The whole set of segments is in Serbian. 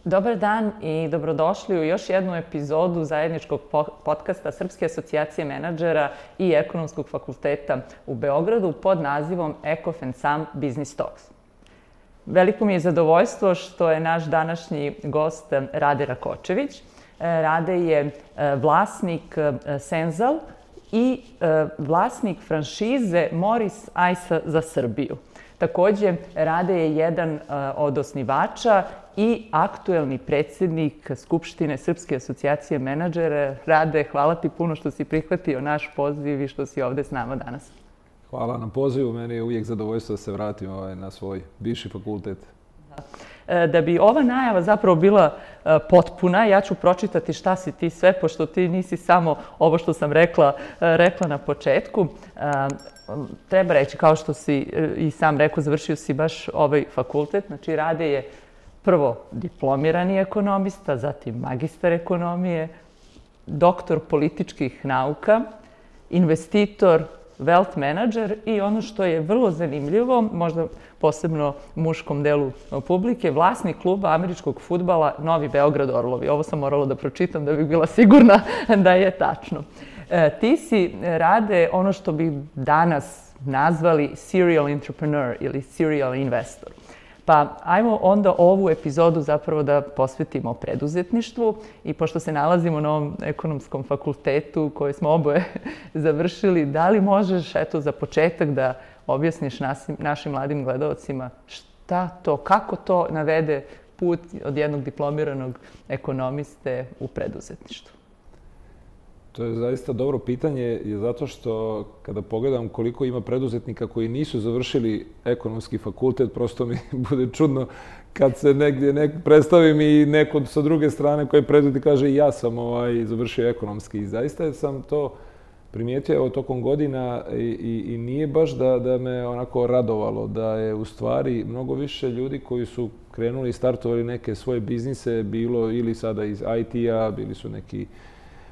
Dobar dan i dobrodošli u još jednu epizodu zajedničkog podcasta Srpske asocijacije menadžera i Ekonomskog fakulteta u Beogradu pod nazivom Ekof and Sam Business Talks. Veliko mi je zadovoljstvo što je naš današnji gost Rade Rakočević. Rade je vlasnik Senzal i vlasnik franšize Moris Ice za Srbiju. Takođe, Rade je jedan od osnivača i aktuelni predsjednik Skupštine Srpske asocijacije menadžera. Rade, hvala ti puno što si prihvatio naš poziv i što si ovde s nama danas. Hvala na pozivu. Meni je uvijek zadovoljstvo da se vratim na svoj bivši fakultet. Da bi ova najava zapravo bila potpuna, ja ću pročitati šta si ti sve, pošto ti nisi samo ovo što sam rekla na početku. Treba reći, kao što si i sam rekao, završio si baš ovaj fakultet. Znači, Rade je prvo diplomirani ekonomista, zatim magistar ekonomije, doktor političkih nauka, investitor, wealth manager i ono što je vrlo zanimljivo, možda posebno muškom delu publike, vlasnik kluba američkog fudbala Novi Beograd Orlovi. Ovo sam morala da pročitam da bih bila sigurna da je tačno. Ti si, Rade, ono što bi danas nazvali serial entrepreneur ili serial investor. Pa ajmo onda ovu epizodu zapravo da posvetimo preduzetništvu i pošto se nalazimo na ovom ekonomskom fakultetu koji smo oboje završili, da li možeš, eto, za početak da objasniš našim mladim gledalcima šta to, kako to navede put od jednog diplomiranog ekonomiste u preduzetništvu? To je zaista dobro pitanje, zato što kada pogledam koliko ima preduzetnika koji nisu završili ekonomski fakultet, prosto mi bude čudno kad se negdje predstavim i neko sa druge strane koji je preduzetnik kaže i ja sam završio ekonomski. I zaista sam to primijetio tokom godina i nije baš da me onako radovalo, da je u stvari mnogo više ljudi koji su krenuli i startovali neke svoje biznise, bilo ili sada iz IT-a, bili su neki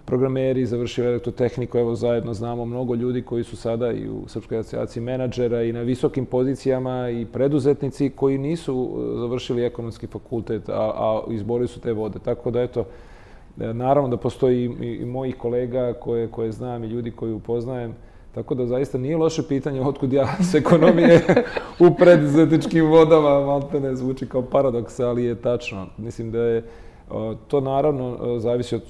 programeri, završili elektrotehniku, evo zajedno znamo mnogo ljudi koji su sada i u Srpskoj asocijaciji menadžera i na visokim pozicijama i preduzetnici koji nisu završili ekonomski fakultet, a izborili su te vode. Tako da, eto, naravno da postoji i mojih kolega koje znam i ljudi koji upoznajem, tako da zaista nije loše pitanje otkud ja s ekonomije u preduzetničkim vodama, maltene zvuči kao paradoks, ali je tačno. Mislim da je to naravno zavisi od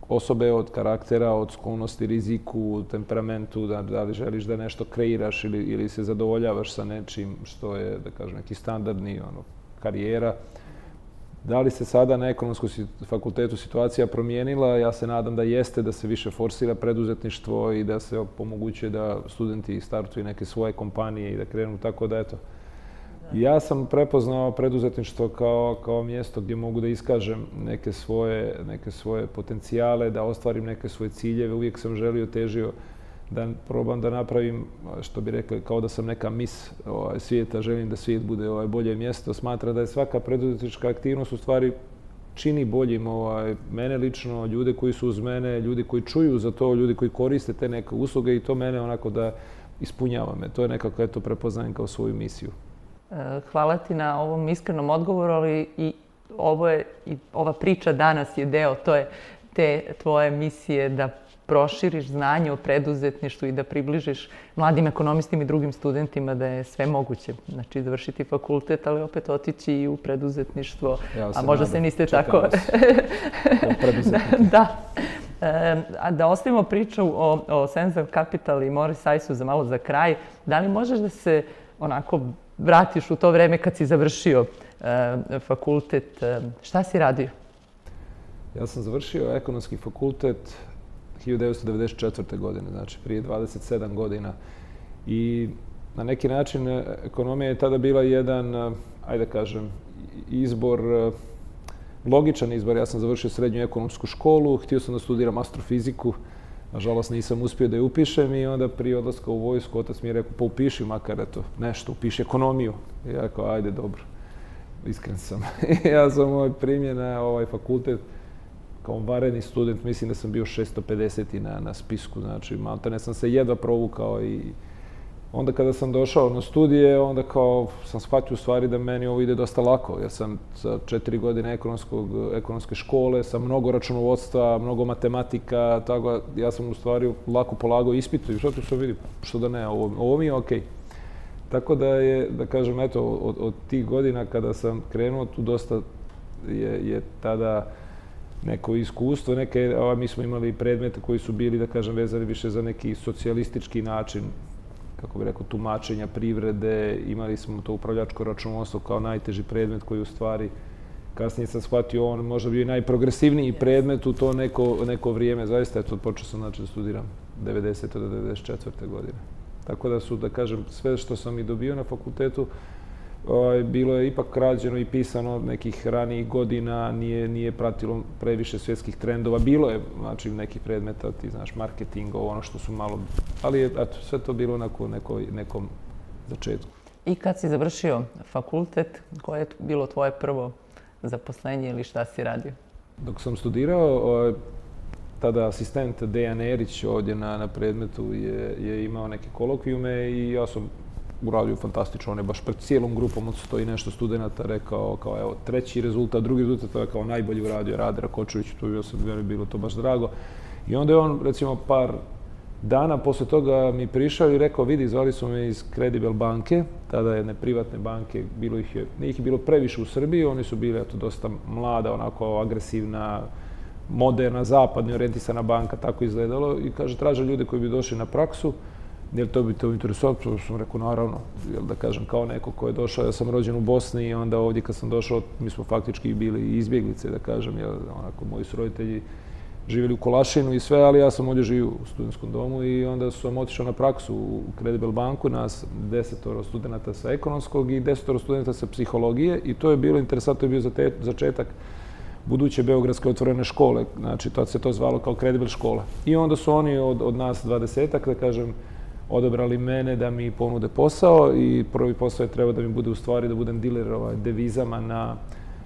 osobe, od karaktera, od sklonosti, riziku, temperamentu, da li želiš da nešto kreiraš ili se zadovoljavaš sa nečim što je, da kažem, neki standardni karijera. Da li se sada na ekonomskom fakultetu situacija promijenila? Ja se nadam da jeste, da se više forsira preduzetništvo i da se omogućuje da studenti startuju neke svoje kompanije i da krenu tako da, eto. Ja sam prepoznao preduzetništvo kao mjesto gdje mogu da iskažem neke svoje potencijale, da ostvarim neke svoje ciljeve. Uvijek sam želio, težio da probam da napravim, što bi rekli, kao da sam neka mis svijeta, želim da svijet bude bolje mjesto. Smatram da je svaka preduzetnička aktivnost u stvari čini boljim mene lično, ljude koji su uz mene, ljudi koji čuju za to, ljudi koji koriste te neke usluge i to mene onako da ispunjava me. To je nekako, eto, prepoznajem kao svoju misiju. Hvala ti na ovom iskrenom odgovoru, ali i ova priča danas je deo te tvoje misije da proširiš znanje o preduzetništvu i da približiš mladim ekonomistima i drugim studentima da je sve moguće. Znači, završiti fakultet, ali opet otići i u preduzetništvo, a možda se niste tako... Da. Da ostavimo priču o Senzal Capital i Moris Ice-u za malo za kraj. Da li možeš da se onako vratiš u to vreme kad si završio fakultet? Šta si radio? Ja sam završio ekonomski fakultet 1994. godine, znači prije 27 godina. I na neki način ekonomija je tada bila jedan, ajde kažem, izbor, logičan izbor. Ja sam završio srednju ekonomsku školu, htio sam da studiram astrofiziku. Nažalost, nisam uspio da je upišem i onda prije odlaska u vojsku otac mi je rekao, pa upiši makar nešto, upiši ekonomiju. I ja rekao, ajde, dobro, iskren sam. Ja sam primljen na ovaj fakultet kao vanredni student, mislim da sam bio 650. na spisku, znači maltene sam se jedva provukao i onda kada sam došao na studije, onda kao sam shvatio u stvari da meni ovo ide dosta lako. Ja sam sa 4 godine ekonomske škole, sa mnogo računovodstva, mnogo matematika, tako ja sam u stvari lako polagao ispit i što tu se vidi, što da ne, ovo mi je okej. Tako da je, da kažem, eto, od tih godina kada sam krenuo, tu dosta je tada neko iskustvo, mi smo imali predmete koji su bili, da kažem, vezani više za neki socijalistički način, kako bih rekao, tumačenja privrede, imali smo to upravljačko računovodstvo kao najteži predmet koji u stvari, kasnije sam shvatio, on možda bio i najprogresivniji predmet u to neko vrijeme. Zaista, eto, počeo sam da studiram 90. do 94. godine. Tako da su, da kažem, sve što sam i dobio na fakultetu, bilo je ipak rađeno i pisano nekih ranijih godina, nije pratilo previše svjetskih trendova. Bilo je, znači, nekih predmeta, ti znaš, marketinga, ono što su malo, ali je, eto, sve to bilo na nekom začetku. I kad si završio fakultet, koje je bilo tvoje prvo zaposlenje ili šta si radio? Dok sam studirao, tada asistent Dejan Erić ovdje na predmetu je imao neke kolokvijume i ja sam uradio fantastično. On je baš pred cijelom grupom od 100 i nešto studenata rekao kao evo treći rezultat, drugi rezultat, to je kao najbolji uradio Rade Rakočević, to je bilo to baš drago. I onda je on recimo par dana posle toga mi prišao i rekao vidi, zvali su me iz Credible banke, tada jedne privatne banke, nije ih bilo previše u Srbiji, oni su bili eto dosta mlada, onako agresivna, moderna, zapadno orijentisana banka, tako izgledalo i kaže traže ljude koji bi došli na praksu. Jel to bi te interesovalo? To sam rekao, naravno, jel da kažem, kao neko ko je došao, ja sam rođen u Bosni i onda ovdje kad sam došao, mi smo faktički bili izbjeglice, da kažem, jel, onako, moji su roditelji živjeli u Kolašinu i sve, ali ja sam ovdje živio u studentskom domu i onda sam otišao na praksu u Credible banku, nas 10 studenta sa ekonomskog i 10 studenta sa psihologije i to je bilo interesantno, to je bio začetak buduće Beogradske otvorene škole, znači tad se to zvalo kao Credible škola. I onda su oni od nas 20-ak, da kažem, odabrali mene da mi ponude posao i prvi posao je trebao da mi bude u stvari da budem diler devizama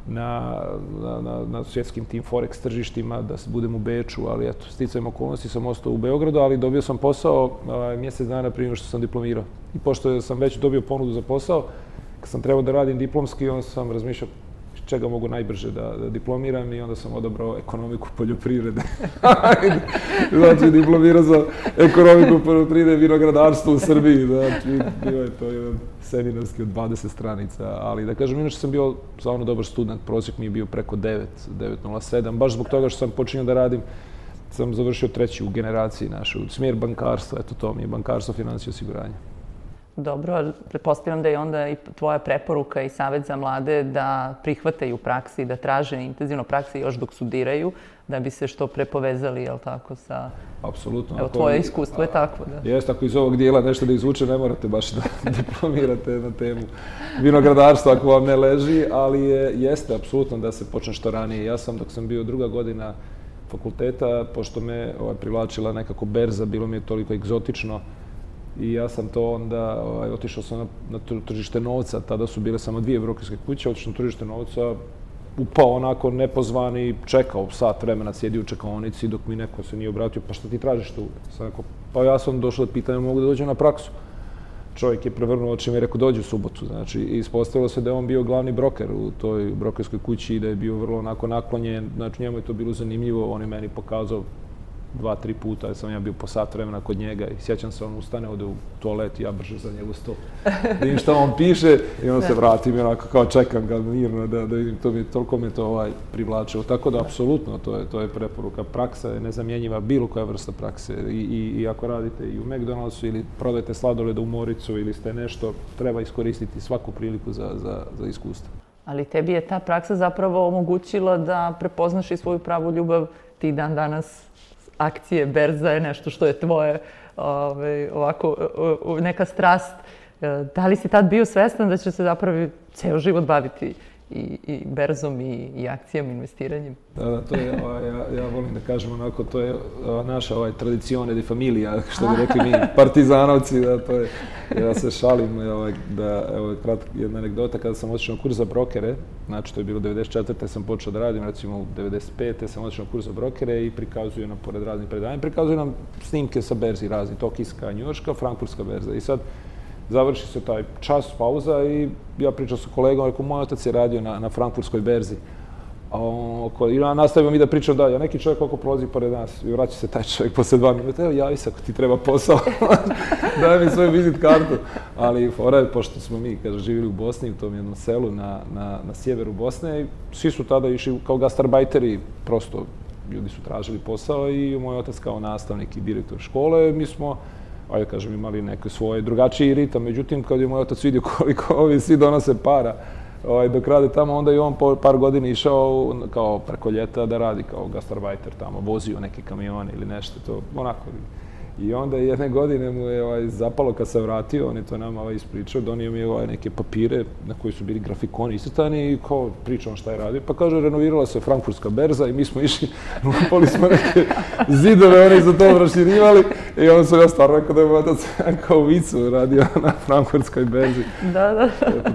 na svjetskim tim forex tržištima, da budem u Beču, ali eto, sticajem okolnosti sam ostao u Beogradu, ali dobio sam posao mjesec dana prije što sam diplomirao. I pošto sam već dobio ponudu za posao, kad sam trebao da radim diplomski, onda sam razmišljao čega mogu najbrže da diplomiram i onda sam odabrao ekonomiku poljoprivrede. Znači, diplomirao sam ekonomiku poljoprivrede i vinogradarstvo u Srbiji. Znači, bio je to jedan seminarski od 20 stranica, ali da kažem, inače sam bio stvarno dobar student, prosjek mi je bio preko 9,07, baš zbog toga što sam počinio da radim, sam završio treći u generaciji našu, smjer bankarstva, eto to mi je bankarstvo, financije i osiguranje. Dobro, ali pretpostavljam da je onda i tvoja preporuka i savjet za mlade da prihvataju praksi, da traže intenzivno praksi još dok studiraju, da bi se što pre povezali, jel tako, sa... Apsolutno. Evo, tvoje iskustvo je takvo, da. Jeste, ako iz ovog dijela nešto da izvuče, ne morate baš da diplomirate na temu vinogradarstva ako vam ne leži, ali jeste, apsolutno, da se počne što ranije. Ja sam, dok sam bio druga godina fakulteta, pošto me privlačila nekako berza, bilo mi je toliko egzotično, i ja sam to onda, otišao sam na tržište novca, tada su bile samo 2 brokerske kuće, otišao na tržište novca, upao onako nepozvani, čekao sat vremena, sjedio u čekaonici dok mi neko se nije obratio, pa šta ti tražiš tu? Sam rekao, pa ja sam došao da pitanje, mogu da dođem na praksu. Čovjek je prevrnuo očima i rekao, dođi u subotu, znači, i ispostavilo se da je on bio glavni broker u toj brokerskoj kući i da je bio vrlo onako naklonjen, znači njemu je to bilo zanimljivo, on je meni pokazao 2-3 puta, jer sam ja bio po sat vremena kod njega i sjećam se, on ustane, ode u toalet i ja brže za njegu sto. Da vidim šta on piše i on se vrati i onako kao čekam ga mirno da vidim, toliko me to privlačilo. Tako da, apsolutno, to je preporuka. Praksa je nezamjenjiva, bilo koja vrsta prakse. I ako radite i u McDonald'su ili prodajete sladoleda u Moricu ili ste nešto, treba iskoristiti svaku priliku za iskustvo. Ali tebi je ta praksa zapravo omogućila da prepoznaš i svoju pravu ljubav ti dan danas. Akcije, berza je nešto što je tvoje, ovako, neka strast. Da li si tad bio svestan da će se zapravo ceo život baviti i berzom i akcijama, investiranjem? Da, to je, ja volim da kažem onako, to je naša tradicione di familija, što bi rekli mi partizanovci, da to je, ja se šalim, da, evo, jedna anegdota, kada sam otišao na kurs za brokere, znači to je bilo 94. sam počeo da radim, recimo u 95. sam otišao na kurs za brokere i prikazuju nam, pored raznih predanja, prikazuju nam snimke sa berzi razni, tokijska, njujorška, frankfurtska berza. I sad, završi se taj čas, pauza i ja pričam sa kolegom, rekao, moj otac je radio na frankfurtskoj berzi. I ja nastavim i da pričam dalje. Neki čovjek koliko prolazi pored nas i vraća se taj čovjek posle 2 minuta. Evo, javi se ako ti treba posao. Daj mi svoju vizit kartu. Ali fora je, pošto smo mi, kaže, živjeli u Bosni, u tom jednom selu na sjeveru Bosne, i svi su tada išli kao gastarbajteri, prosto ljudi su tražili posao i moj otac kao nastavnik i direktor škole, mi smo, ajde kažem, imali neke svoje drugačiji ritam. Međutim, kad je moj otac vidio koliko ovi svi donose para, dok rade tamo, onda je on po par godina išao kao preko ljeta da radi kao gastarbajter tamo, vozio neke kamione ili nešto, to onako. I onda jedne godine mu je zapalo kad se vratio, on je to nama ispričao, donio mi je neke papire na koji su bili grafikoni iscrtani i kao pričao šta je radio. Pa kaže, renovirala se frankfurtska berza i mi smo išli, lupali smo neke zidove, oni su to proširivali i onda sam ja stvarno rekao da je moj otac kao vicu radio na frankfurtskoj berzi. Da.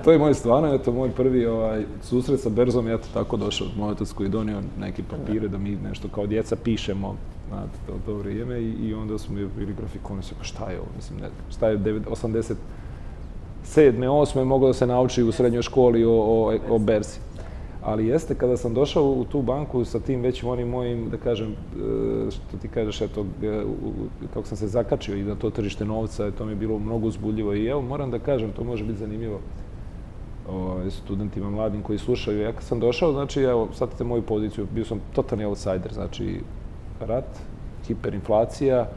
To je moj stvarno, eto, moj prvi susret sa berzom, eto, tako došao moj otac koji je donio neke papire da mi nešto kao djeca pišemo na to vrijeme i onda smo bili grafikoni, pa šta je ovo, mislim, ne znam, šta je 87. 8. moglo da se nauči u srednjoj školi o berzi. Ali jeste, kada sam došao u tu banku sa tim već onim mojim, da kažem, što ti kažeš, eto, kako sam se zakačio i na to tržište novca, to mi je bilo mnogo uzbudljivo i evo, moram da kažem, to može biti zanimljivo studentima mladim koji slušaju. Ja kad sam došao, znači, evo, shvatite moju poziciju, bio sam totalni outsider, znači, rat, hiperinflacija,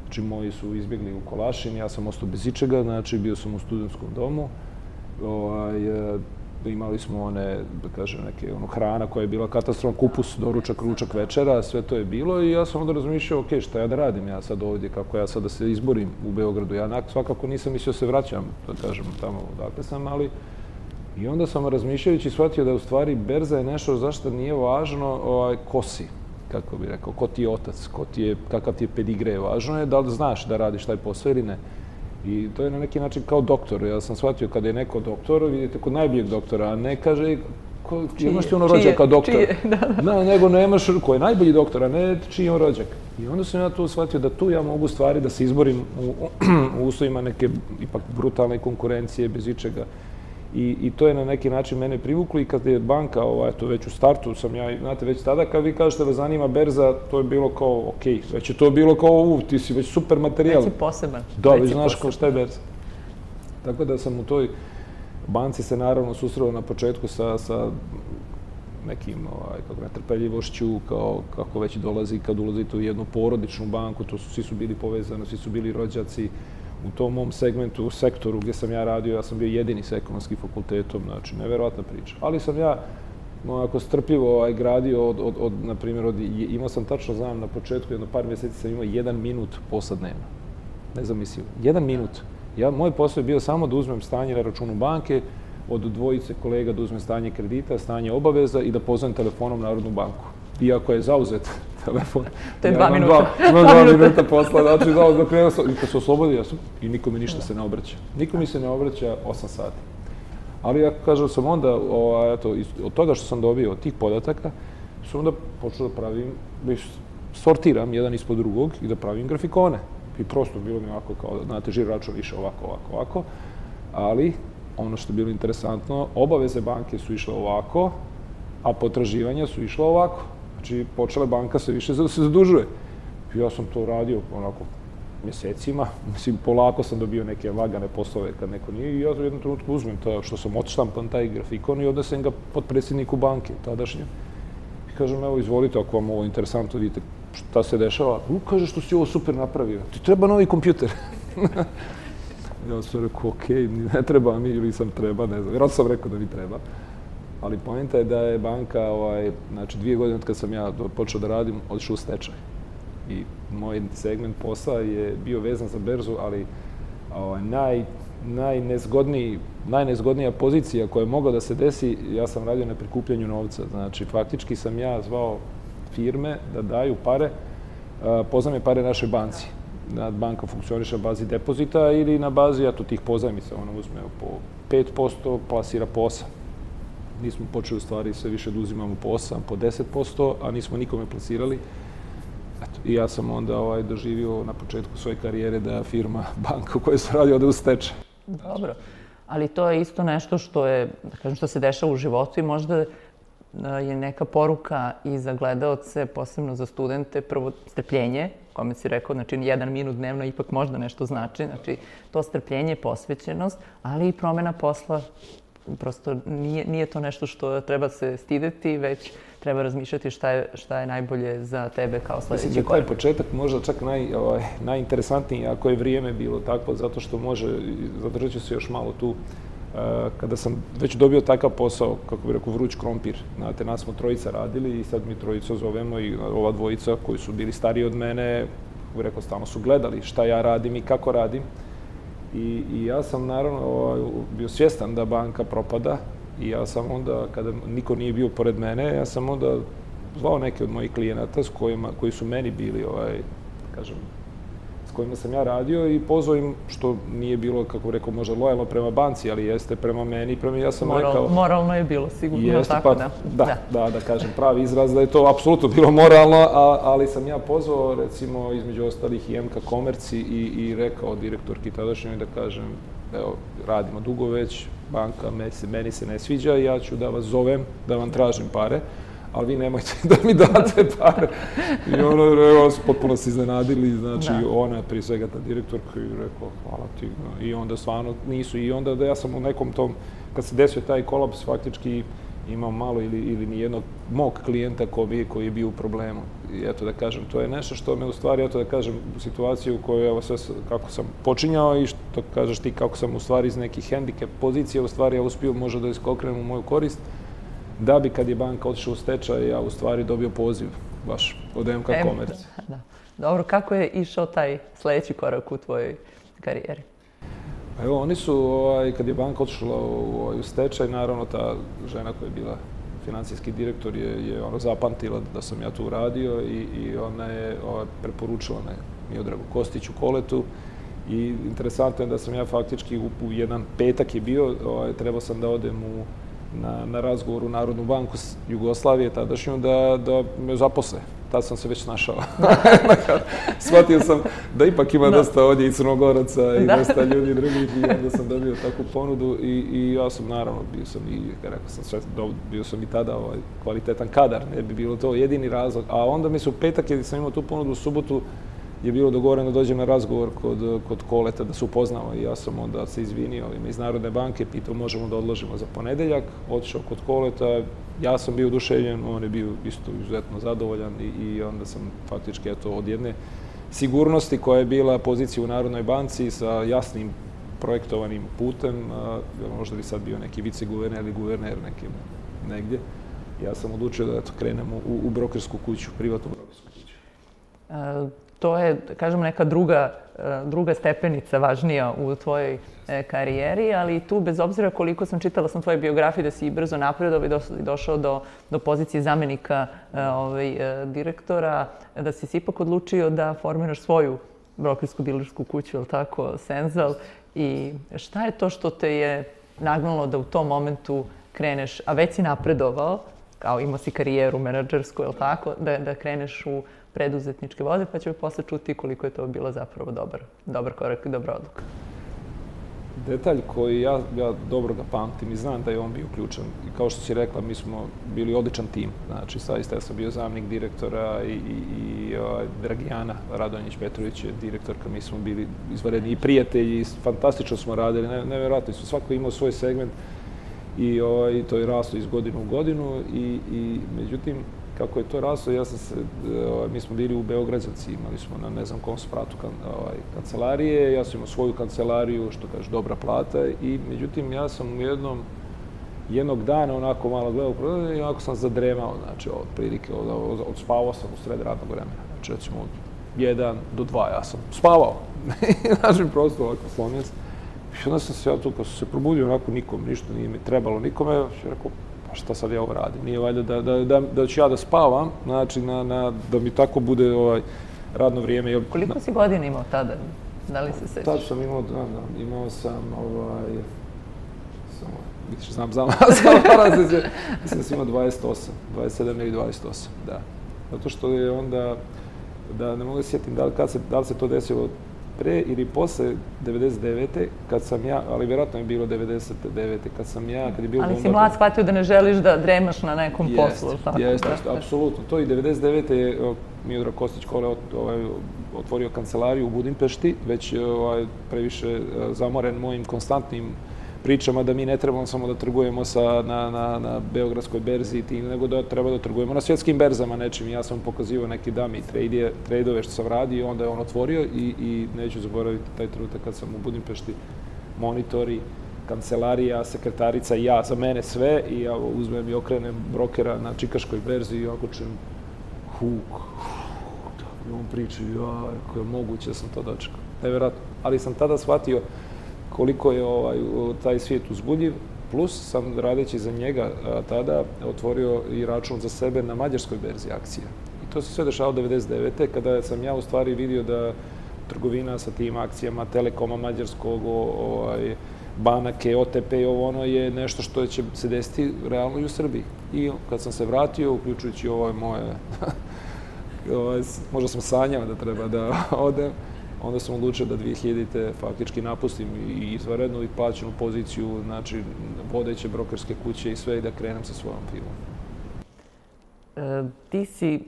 znači moji su izbjegli u Kolašin, ja sam ostao bez ičega, znači bio sam u studentskom domu, imali smo one, da kažem, neke hrana koja je bila katastrofa, kupus, doručak, ručak, večera, sve to je bilo i ja sam onda razmišljao, ok, šta ja da radim ja sad ovdje, kako ja sad da se izborim u Beogradu. Ja svakako nisam mislio se vraćam, da kažem, tamo odakle sam, ali i onda sam razmišljajući shvatio da u stvari berza je nešto zašto nije važno ko si, kako bih rekao, ko ti je otac, kakav ti je pedigre, važno je da li znaš da radiš taj posao ili ne. I to je na neki način kao doktor. Ja sam shvatio kada je neko doktor, vidite, kod najboljeg doktora, a ne kaže imaš ti ono rođak kao doktor. Nego nemaš ko je najbolji doktor, a ne čiji je on rođak. I onda sam ja tu shvatio da tu ja mogu stvari da se izborim u uslovima neke ipak brutalne konkurencije, bez ičega. I to je na neki način mene privuklo i kad je banka, eto već u startu sam ja, znate, već tada kad vi kažete da zanima berza, to je bilo kao, okej, već je to bilo kao, ti si već super materijal. Već si poseban. Da, već znaš šta je berza. Tako da sam u toj banci se naravno susreo na početku sa nekim netrpeljivošću, kako već dolazi kad ulazite u jednu porodičnu banku, svi su bili povezani, svi su bili rođaci. U tom mom segmentu, u sektoru gdje sam ja radio, ja sam bio jedini s ekonomskim fakultetom, znači, neverovatna priča. Ali sam ja, onako, strpljivo gradio na primjer, imao sam, tačno znam, na početku, jedno par mjeseci sam imao 1 minut posla dnevno. Ne znam, mislim, 1 minut. Moj posao je bio samo da uzmem stanje na računu banke, od dvojice kolega da uzmem stanje kredita, stanje obaveza i da pozovem telefonom Narodnu banku. Iako je zauzet telefon. To je 2 minuta. Imam 2 minuta posla, znači zauzet. I kad se oslobodi, ja sam, i nikome ništa se ne obraća. Niko mi se ne obraća 8 sati. Ali ja kažem sam onda, od toga što sam dobio, od tih podataka, sam onda počeo da pravim, sortiram jedan ispod drugog i da pravim grafikone. I prosto bilo mi ovako kao, znate, žiro račun više ovako. Ali, ono što je bilo interesantno, obaveze banke su išle ovako, a potraživanja su išla ovako. Znači, počela banka se više da se zadužuje. Ja sam to radio onako mjesecima. Mislim, polako sam dobio neke lagane poslove kad neko nije i ja u jednom trenutku uzmem to što sam odštampan taj grafikon i odnesem ga potpredsjedniku banke tadašnje. I kažem, evo, izvolite, ako vam ovo interesantno, vidite šta se dešava. Kaže, što si ovo super napravio. Ti treba novi kompjuter. Ja sam rekao, okej, ne treba mi ili sam treba, ne znam. Vjerojatno sam rekao da mi treba. Ali poenta je da je banka, znači 2 godine od kad sam ja počeo da radim, otišao u stečaj. I moj segment posla je bio vezan za berzu, ali najnezgodnija pozicija koja je mogla da se desi, ja sam radio na prikupljanju novca. Znači, faktički sam ja zvao firme da daju pare, pozajme pare našoj banci. Banka funkcioniše na bazi depozita ili na bazi tih pozajmica. Ona uzme po 5%, plasira po 8%. Mi smo počeli u stvari sve više da uzimamo po 8%, po 10%, a nismo nikome plasirali. I ja sam onda doživio na početku svoje karijere da firma, banka u kojoj sam radio, ode u stečaj. Dobro. Ali to je isto nešto što je, da kažem, što se dešava u životu i možda je neka poruka i za gledaoce, posebno za studente, prvo strpljenje, kome si rekao, znači 1 minut dnevno ipak možda nešto znači, znači to strpljenje, posvećenost, ali i promena posla. Prosto nije to nešto što treba se stideti, već treba razmišljati šta je najbolje za tebe kao sledeći korak. Mislim da je taj početak možda čak najinteresantniji, ako je vrijeme bilo takvo, zato što zadržat ću se još malo tu. Kada sam već dobio takav posao, kako bih rekao, vruć krompir, znate, nas smo trojica radili i sad mi trojica zovemo i ova dvojica koji su bili stariji od mene, kako bih rekao, stalno su gledali šta ja radim i kako radim. I ja sam naravno bio svjestan da banka propada i ja sam onda, kada niko nije bio pored mene, ja sam onda zvao neke od mojih klijenata koji su meni bili, kažem, s kojima sam ja radio i pozvao im, što nije bilo, kako rekao, možda lojalno prema banci, ali jeste prema meni i ja sam rekao... Moralno je bilo, sigurno tako, da. Da kažem, pravi izraz da je to apsolutno bilo moralno, ali sam ja pozvao, recimo, između ostalih i MK Komerci i rekao direktorki tadašnjoj da kažem, evo, radimo dugo već, banka meni se ne sviđa i ja ću da vas zovem, da vam tražim pare, ali vi nemojte da mi date pare. I ono su potpuno se iznenadili, znači ona, prije svega ta direktorka, i rekao, hvala ti. I onda stvarno nisu. I onda da ja sam u nekom tom, kad se desio taj kolaps, faktički imao malo ili nijednog mog klijenta koji je bio u problemu. I eto da kažem, to je nešto što me u stvari, eto da kažem, u situaciju u kojoj, evo sve kako sam počinjao i što kažeš ti, kako sam u stvari iz nekih hendikep pozicija, u stvari ja uspio možda da iskokrenem u moju korist, da bi kad je banka otišla u stečaj, ja u stvari dobio poziv baš od MK Komerci. Dobro, kako je išao taj sledeći korak u tvojoj karijeri? Evo, oni su, kad je banka otišla u stečaj, naravno ta žena koja je bila financijski direktor je zapamtila da sam ja tu radio i ona je preporučila me Miodragu Kostiću Koletu. I interesantno je da sam ja faktički u jedan petak je bio, trebao sam da odem na razgovor u Narodnu banku Jugoslavije tadašnju da me zaposle. Tad sam se već snašao. Shvatio sam da ipak ima dosta ovdje i Crnogoraca i dosta ljudi drugih i onda sam dobio takvu ponudu i ja sam naravno bio sam i tada kvalitetan kadar, ne bi bilo to jedini razlog. A onda mi se u petak, jer sam imao tu ponudu, u subotu je bilo dogovoreno da dođem na razgovor kod Koleta da se upoznamo i ja sam onda se izvinio iz Narodne banke, pitao možemo da odložimo za ponedeljak, otišao kod Koleta, ja sam bio oduševljen, on je bio isto izuzetno zadovoljan i onda sam faktički od jedne sigurnosti koja je bila pozicija u Narodnoj banci sa jasnim projektovanim putem, možda bi sad bio neki viceguverner ili guverner negdje, ja sam odlučio da krenemo u brokersku kuću, privatnu brokersku kuću. To je, kažemo, neka druga stepenica važnija u tvojoj karijeri, ali tu, bez obzira koliko sam čitala tvoje biografije, da si i brzo napredovao i došao do pozicije zamenika direktora, da si se ipak odlučio da formiraš svoju brokersku dilersku kuću, je li tako, Senzal. I šta je to što te je nagnalo da u tom momentu kreneš, a već si napredovao, kao imao si karijeru menadžersku, je li tako, da kreneš u preduzetničke vode, pa ćemo posle čuti koliko je to bilo zapravo dobar korak i dobra odluka. Detalj koji ja dobro ga pamtim i znam da je on bio ključan. I kao što si rekla, mi smo bili odličan tim. Znači, saista ja sam bio zamjenik direktora i Dragijana Radonjić-Petrović je direktorka. Mi smo bili izvanredni i prijatelji, fantastično smo radili, nevjerojatno su. Svako imao svoj segment i to je raslo iz godine u godinu i međutim, kako je to raslo, mi smo bili u Beograđanci, imali smo na ne znam kom spratu kancelarije, ja sam imao svoju kancelariju, što kaže, dobra plata i međutim ja sam jednog dana onako malo gledao i onako sam zadremao, znači otprilike, odspavao sam u sred radnog vremena, znači recimo od 1 do 2 ja sam spavao, znači prosto ovako slomljen sam. I onda sam se ja tu, kad sam se probudio, onako nikom, ništa nije mi trebalo nikome, ja rekao, pa šta sad ja ovo radim? Nije valjda da ću ja da spavam, znači da mi tako bude radno vrijeme. Koliko si godina imao tada? Da li se sećaš? Tad sam imao sam, vidiš, znam, mislim da sam imao 28, 27 ili 28, da. Zato što je onda, da ne mogu da sjetim da li se to desilo pre ili posle 99. kad sam ja, ali vjerojatno je bilo 99. kad sam ja, kad je bilo... Ali si mlad shvatio da ne želiš da dremaš na nekom poslu. Jeste, apsolutno. To i 99. je Miodrag Kostić Kole otvorio kancelariju u Budimpešti, već previše zamoren mojim konstantnim pričama da mi ne trebamo samo da trgujemo na Beogradskoj berzi, nego da treba da trgujemo na svjetskim berzama nečim. Ja sam pokazivao neki dummy trade-ove što sam radio, onda je on otvorio i neću zaboraviti taj trenutak kad sam u Budimpešti, monitori, kancelarija, sekretarica i ja, za mene sve, i ja uzmem i okrenem brokera na čikaškoj berzi i ovako čujem huk, i on priča, kako je moguće da sam to dočekao. Nevjerojatno. Ali sam tada shvatio koliko je taj svijet uzbudljiv, plus sam radeći za njega tada otvorio i račun za sebe na mađarskoj berzi akcija. I to se sve dešavalo 99. kada sam ja u stvari vidio da trgovina sa tim akcijama Telekoma mađarskog, banake, OTP i ono je nešto što će se desiti realno i u Srbiji. I kad sam se vratio, uključujući ovo moje, možda sam sanjao da treba da odem, onda sam odlučio da 2000-te faktički napustim i izvanrednu i plaćenu poziciju, znači vodeće brokerske kuće i sve, i da krenem sa svojom firmom. Ti si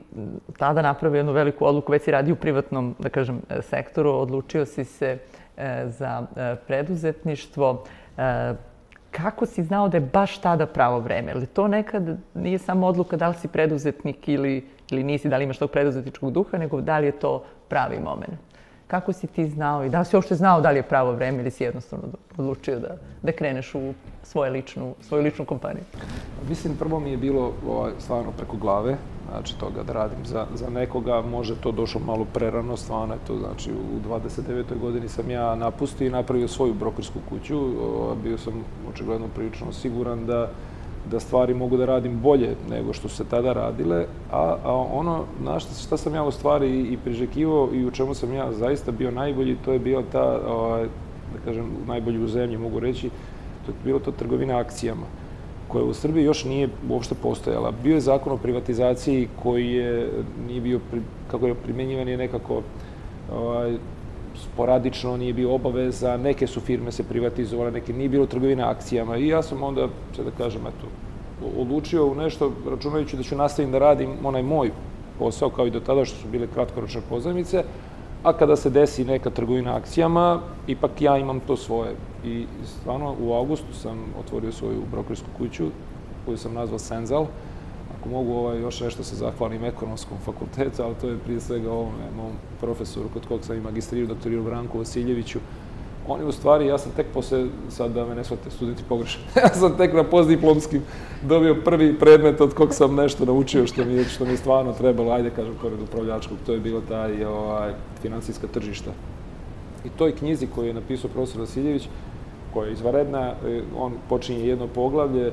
tada napravio jednu veliku odluku, već si radio u privatnom, da kažem, sektoru, odlučio si se za preduzetništvo. Kako si znao da je baš tada pravo vreme? Ali to nekad nije samo odluka da li si preduzetnik ili nisi, da li imaš tog preduzetničkog duha, nego da li je to pravi moment? Kako si ti znao i da li si uopšte znao da li je pravo vreme ili si jednostavno odlučio da kreneš u svoju ličnu kompaniju? Mislim, prvo mi je bilo stvarno preko glave, znači toga da radim za nekoga, može to došlo malo prerano, stvarno je to, znači u 29. godini sam ja napustio i napravio svoju brokersku kuću, bio sam očigledno prilično siguran da stvari mogu da radim bolje nego što su se tada radile, a ono na šta sam ja u stvari i priželjkivao i u čemu sam ja zaista bio najbolji, to je bila ta, da kažem, najbolji u zemlji mogu reći, to je bilo to trgovina akcijama, koja u Srbiji još nije uopšte postojala. Bio je zakon o privatizaciji koji nije bio, kako je primjenjivan, je nekako sporadično, nije bio obaveza, neke su firme se privatizovale, neke nije bilo trgovina akcijama i ja sam onda, sad da kažem, odlučio u nešto, računajući da ću nastaviti da radim onaj moj posao, kao i do tada što su bile kratkoročne pozajmice, a kada se desi neka trgovina akcijama, ipak ja imam to svoje. I stvarno u avgustu sam otvorio svoju brokersku kuću, koju sam nazvao Senzal. Ako mogu još nešto se zahvalim Ekonomskom fakultetu, ali to je prije svega ovome, mom profesoru kod kog sam i magistrirao, doktoru Branku Vasiljeviću. On je u stvari, ja sam tek posle, sad da me ne shvate studenti pogrešno, ja sam tek na postdiplomskim dobio prvi predmet od kog sam nešto naučio što mi je stvarno trebalo, ajde kažem, pored upravljačkog, to je bilo taj finansijska tržišta. I toj knjizi koju je napisao profesor Vasiljević, koja je izvanredna, on počinje jedno poglavlje,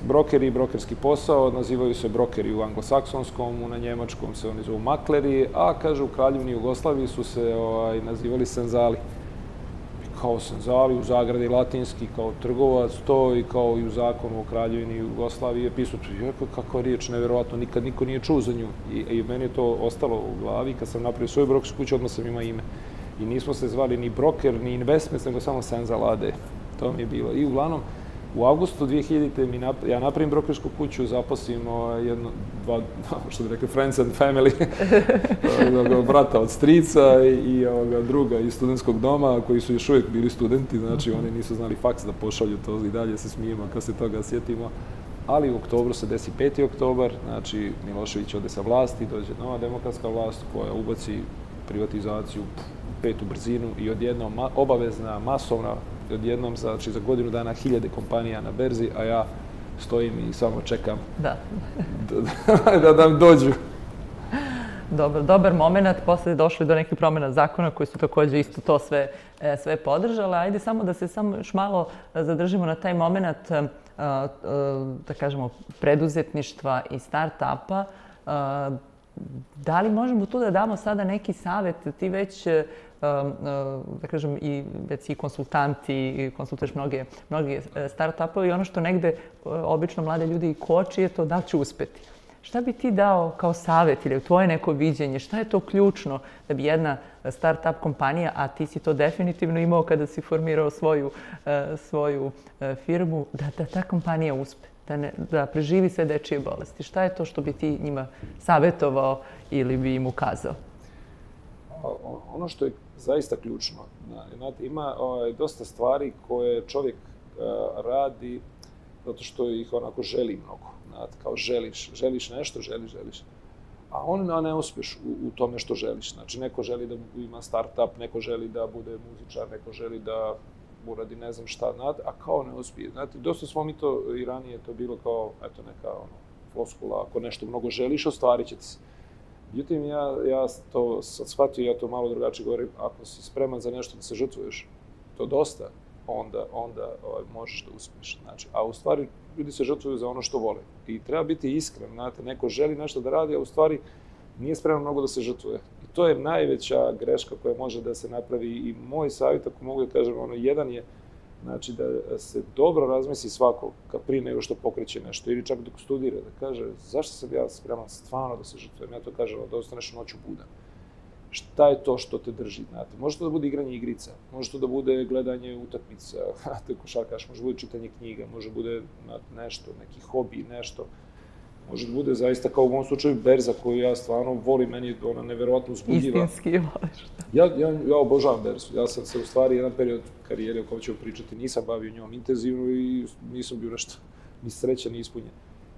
brokeri i brokerski posao, nazivaju se brokeri u anglosaksonskom, na njemačkom se oni zovu makleri, a kaže u Kraljevini Jugoslaviji su se nazivali senzali. Kao senzali, u zagradi latinski, kao trgovac, to i kao i u zakonu o Kraljevini Jugoslaviji je pisao, kakva riječ, nevjerovatno, nikad niko nije čuo za nju. I meni je to ostalo u glavi, kad sam napravio svoju brokersku kuću, odmah sam imao ime. I nismo se zvali ni broker, ni investments, nego samo Senzal AD. To mi je bilo. I uglavnom, u avgustu 2000. ja napravim brokersku kuću, zaposlim što bi rekli, friends and family, brata od strica i druga iz studentskog doma, koji su još uvijek bili studenti, znači oni nisu znali faks da pošalju to i dalje se smijemo kad se toga sjetimo. Ali u oktobru se desi 5. oktobar, znači Milošević ode sa vlasti, dođe nova demokratska vlast koja ubaci privatizaciju u 5. brzinu i odjednom obavezna, masovna, odjednom, znači za godinu dana 1000 kompanija na berzi, a ja stojim i samo čekam da nam dođu. Dobar moment, posle je došli do nekih promjena zakona koji su također isto to sve podržale. Ajde samo da se još malo zadržimo na taj moment, da kažemo, preduzetništva i start-upa. Da li možemo tu da damo sada neki savjet? Ti već, da kažem, već si konsultanti, konsultuješ mnoge start-upove i ono što negde obično mlade ljudi koči je to da li će uspeti. Šta bi ti dao kao savjet ili tvoje neko viđenje? Šta je to ključno da bi jedna start-up kompanija, a ti si to definitivno imao kada si formirao svoju firmu, da ta kompanija uspe, da preživi sve dečije bolesti? Šta je to što bi ti njima savjetovao ili bi im ukazao? Ono što je zaista ključno, znate, ima dosta stvari koje čovjek radi zato što ih onako želi mnogo. Znate, kao želiš nešto, želiš. A ne uspiješ u tome što želiš. Znači, neko želi da ima start-up, neko želi da bude muzičar, neko želi da uradi ne znam šta, znate, a kao ne uspije. Znate, dosta smo mi to i ranije to bilo kao, eto, neka floskula, ako nešto mnogo želiš, ostvarit će ti se. Međutim, ja to sad shvatio, ja to malo drugačije govorim, ako si spreman za nešto da se žrtvuješ, to dosta, onda možeš da uspiješ. Znači, a u stvari, ljudi se žrtvuju za ono što vole. I treba biti iskren, znate, neko želi nešto da radi, a u stvari nije spreman mnogo da se žrtvuje. I to je najveća greška koja može da se napravi. I moj savjet, ako mogu da kažem, jedan je, znači, da se dobro razmisli svako prije nego što pokreće nešto, ili čak dok studira, da kaže zašto sam ja spreman stvarno da se žrtvujem. Ja to kažem, da ostaneš noću budan. Šta je to što te drži, znate? Može to da bude igranje igrica, može to da bude gledanje utakmica, košarkaš, može da bude čitanje knjiga, može da bude nešto, neki hobi, nešto. Može da bude zaista, kao u mom slučaju, berza koju ja stvarno volim, meni je ona neverovatno uzbudljiva. Istinski voliš. Ja obožavam berzu. Ja sam se u stvari jedan period karijere o kojem ćemo pričati, nisam bavio njom intenzivno i nisam bio nešto ni srećan, ni ispunjen.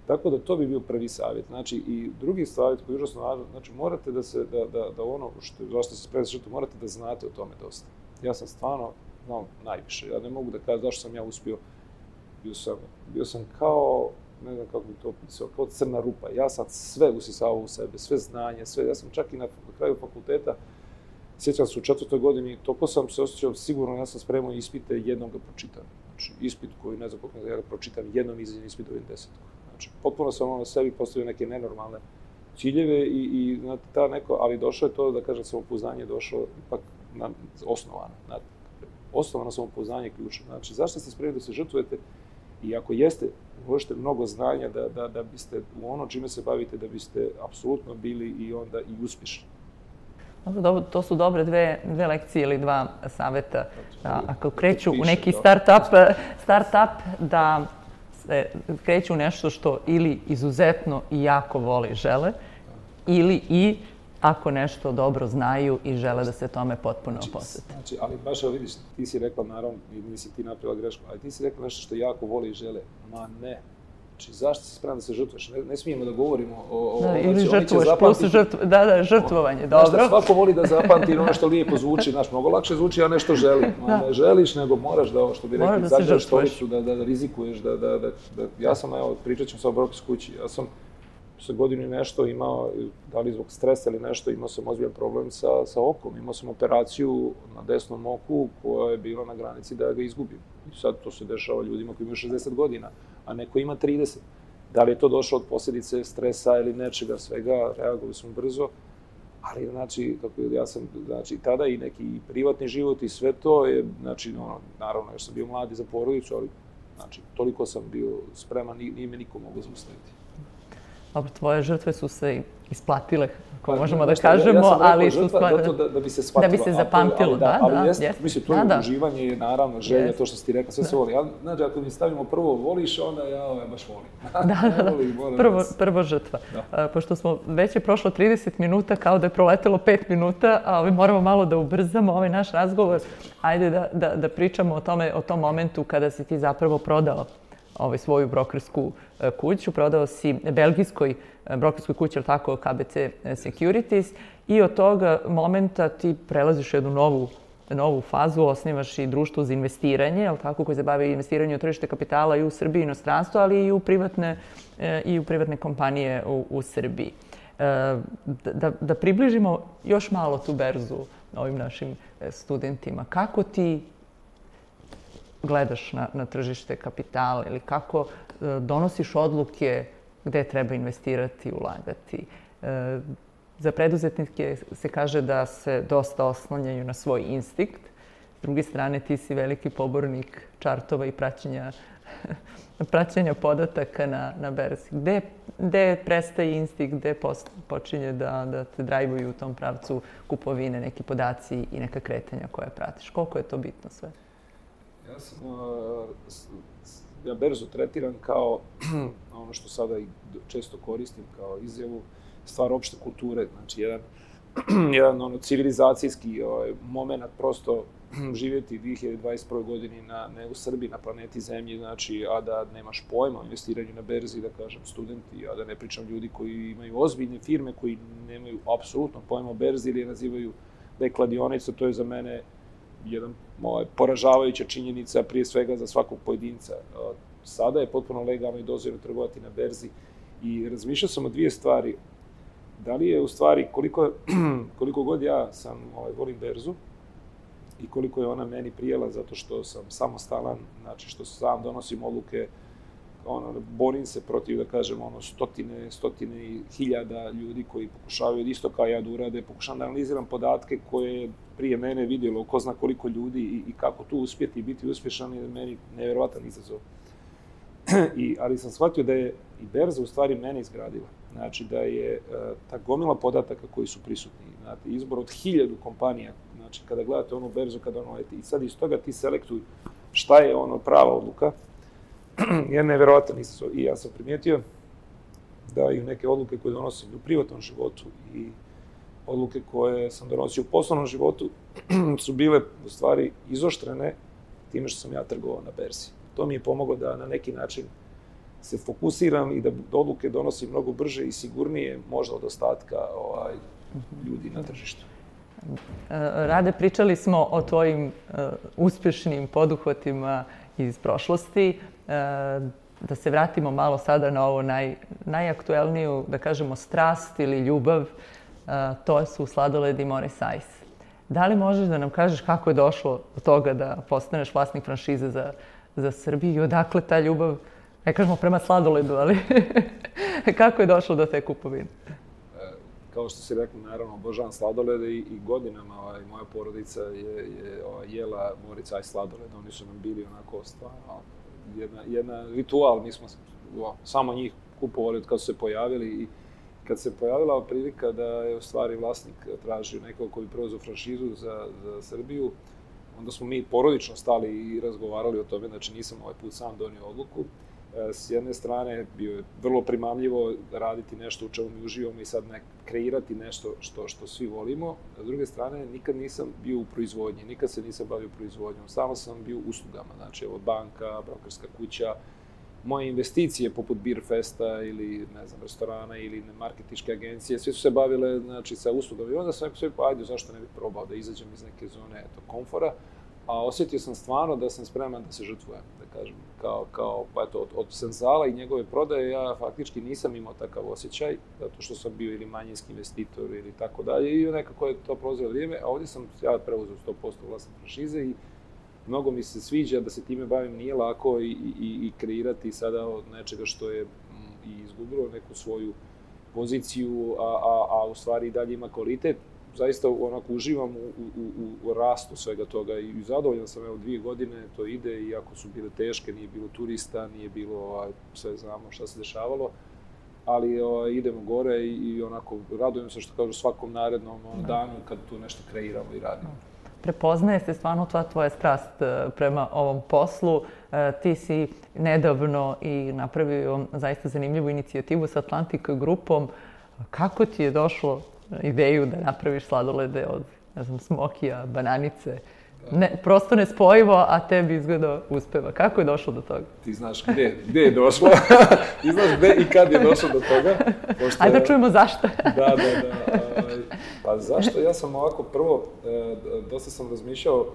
Tako da to bi bio prvi savjet. Znači, i drugi savjet koji je užasno važan, znači, morate da ono zašto se spremate žrtvu, morate da znate o tome dosta. Ja sam stvarno znao najviše. Ja ne mogu da kažem zašto sam ja uspio. Bio sam kao, ne znam kako bi to opisao, kao crna rupa. Ja sam sve usisavao u sebe, sve znanje, sve. Ja sam čak i na kraju fakulteta, sjećam se u 4. godini, toliko sam se osjećao sigurno, ja sam spremao ispite, jednom ga pročitam. Znači, ispit koji ne znam koliko ja ga pročitam, jednom izađem ispit dobijem 10. Znači, potpuno sam na sebi postavio neke nenormalne ciljeve i ta neko, ali došlo je to, da kažem, samopouzdanje došlo ipak osnovano. Osnovano samopouzdanje je ključno. Znači, zašto ste spremni da se žrtvujete i ako jeste, uložite mnogo znanja da biste u ono čime se bavite, da biste apsolutno bili i onda i uspješni. To su dobre dve lekcije ili dva savjeta. Ako kreću u neki start-up, da se kreću u nešto što ili izuzetno i jako vole i žele, ili i ako nešto dobro znaju i žele da se tome potpuno posvete. Znači, ali baš vidiš, ti si rekla, naravno, nisi ti napravila grešku, ali ti si rekla nešto što jako vole i žele. Ma ne. Znači, zašto si spreman da se žrtvuješ? Ne smijemo da govorimo o... Ili žrtvuješ, plus žrtvovanje, dobro. Svako voli da zapamti ono što lijepo zvuči, znaš, mnogo lakše zvuči, a nešto želi. Ne želiš, nego moraš da ovo što bi rekli, zađeš stolicu, da rizikuješ, ja sam, evo, pričat ćemo sa obrok iz kući, ja sam sa godinu i nešto imao, da li zbog stresa ili nešto, imao sam ozbiljan problem sa okom. Imao sam operaciju na desnom oku koja je bila na granici da ga izgubim. I sad to se dešava ljudima koji imaju 60 godina, a neko ima 30. Da li je to došlo od posljedice stresa ili nečega, svega, reagovali smo brzo. Ali, znači, ja sam, tada i neki privatni život i sve to je, znači, naravno, još sam bio mladi za porodicu, ali, znači, toliko sam bio spreman, nije me niko mogao zaustaviti. Dobro, tvoje žrtve su se isplatile, ako možemo da kažemo, ali su da bi se shvatilo. Da bi se zapamtilo, da. Mislim, to je uživanje, je naravno želja, to što si ti rekla, sve se voli. Znači, ako mi stavimo prvo voliš, onda ja baš volim. Da, prvo žrtva. Pošto smo već je prošlo 30 minuta, kao da je proletelo 5 minuta, a moramo malo da ubrzamo ovaj naš razgovor. Ajde da pričamo o tom momentu kada si ti zapravo prodao svoju brokersku kuću. Prodao si belgijskoj brokerskoj kući, ali tako, KBC Securities, i od tog momenta ti prelaziš jednu novu fazu, osnivaš i društvo za investiranje, ali tako, koje se bavi investiranjem u tržište kapitala i u Srbiji i inostranstvu, ali i u privatne kompanije u Srbiji. Da približimo još malo tu berzu ovim našim studentima. Kako ti gledaš na tržište kapitala ili kako donosiš odluke gde treba investirati, ulagati? Za preduzetnike se kaže da se dosta oslanjaju na svoj instinkt. S druge strane, ti si veliki pobornik čartova i praćenja podataka na berzi. gde prestaje instinkt, gde počinje da te drajvuju u tom pravcu kupovine, neki podaci i neka kretanja koje pratiš? Koliko je to bitno sve? Ja berzu tretiram kao ono što sada i često koristim kao izjavu, stvar opšte kulture, znači jedan civilizacijski moment prosto živjeti u 2021. godini ne u Srbiji, na planeti Zemlji, znači, a da nemaš pojma o investiranju na berzi, da kažem studenti, a da ne pričam ljudi koji imaju ozbiljne firme, koji nemaju apsolutno pojma o berzi ili je nazivaju da je kladionica, to je za mene jedan poražavajuća činjenica, prije svega za svakog pojedinca. Sada je potpuno legalno i dozvoljeno trgovati na berzi i razmišljao sam o dvije stvari. Da li je u stvari, koliko god ja volim berzu i koliko je ona meni prijela zato što sam samostalan, znači što sam donosim odluke, borim se protiv, da kažem, stotine i hiljada ljudi koji pokušavaju isto kao ja da urade, pokušavam da analiziram podatke koje prije mene vidjelo ko zna koliko ljudi i kako tu uspjeti i biti uspješan je meni nevjerovatan izazov. Ali sam shvatio da je i berza u stvari mene izgradila. Znači da je ta gomila podataka koji su prisutni, znate, izbor od 1000 kompanija, znači kada gledate onu berzu, i sad iz toga ti selektuj šta je prava odluka, je nevjerovatan izazov. I ja sam primijetio da i neke odluke koje donosim u privatnom životu i odluke koje sam donosio u poslovnom životu su bile u stvari izoštrene time što sam ja trgovao na berzi. To mi je pomoglo da na neki način se fokusiram i da odluke donosim mnogo brže i sigurnije možda od ostatka ljudi na tržištu. Rade, pričali smo o tvojim uspješnim poduhvatima iz prošlosti. Da se vratimo malo sada na ovo najaktuelniju, da kažemo, strast ili ljubav, to su sladoledi Morris Ice. Da li možeš da nam kažeš kako je došlo do toga da postaneš vlasnik franšize za Srbiju i odakle ta ljubav, ne kažemo prema sladoledu, ali kako je došlo do te kupovine? Kao što si rekla, naravno, obožavam sladolede i godinama moja porodica je jela Morris Ice sladolede. Oni su nam bili onako stvarno jedna ritual. Mi smo samo njih kupovali od kada su se pojavili i kad se pojavila prilika da je u stvari vlasnik tražio nekog koji bi preuzeo franšizu za Srbiju, onda smo mi porodično stali i razgovarali o tome, znači nisam ovaj put sam donio odluku. S jedne strane bio je vrlo primamljivo raditi nešto u čemu mi uživamo i sad kreirati nešto što svi volimo. S druge strane, nikad nisam bio u proizvodnji, nikad se nisam bavio proizvodnjom, samo sam bio u uslugama, znači evo banka, brokerska kuća, moje investicije poput Beer Festa ili, ne znam, restorana ili marketinške agencije, sve su se bavile, znači, sa uslugama. I onda sam rekao, ajde, zašto ne bih probao da izađem iz neke zone komfora, a osjetio sam stvarno da sam spreman da se žrtvujem, da kažem, od Senzala i njegove prodaje ja faktički nisam imao takav osjećaj, zato što sam bio ili manjinski investitor ili tako dalje, i nekako je to prolazilo vrijeme, a ovdje sam ja preuzeo 100% vlasnik franšize i mnogo mi se sviđa da se time bavim, nije lako i kreirati sada od nečega što je i izgubilo neku svoju poziciju, a u stvari i dalje ima kvalitet. Zaista onako uživam u rastu svega toga i zadovoljan sam, evo 2 godine to ide, iako su bile teške, nije bilo turista, nije bilo, sve znamo šta se dešavalo, ali idemo gore i onako radujem se, što kažu, svakom narednom danu kad tu nešto kreiramo i radimo. Prepoznaje se stvarno tvoja strast prema ovom poslu. Ti si nedavno i napravio zaista zanimljivu inicijativu sa Atlantic grupom. Kako ti je došlo ideju da napraviš sladolede od, ne znam, smokija, bananice? Prosto nespojivo, a tebi izgleda uspeva. Kako je došlo do toga? Ti znaš gdje je došlo. Ti znaš gdje i kad je došlo do toga. Ajde da čujemo zašto. Da. Pa zašto? Ja sam ovako prvo, dosta sam razmišljao,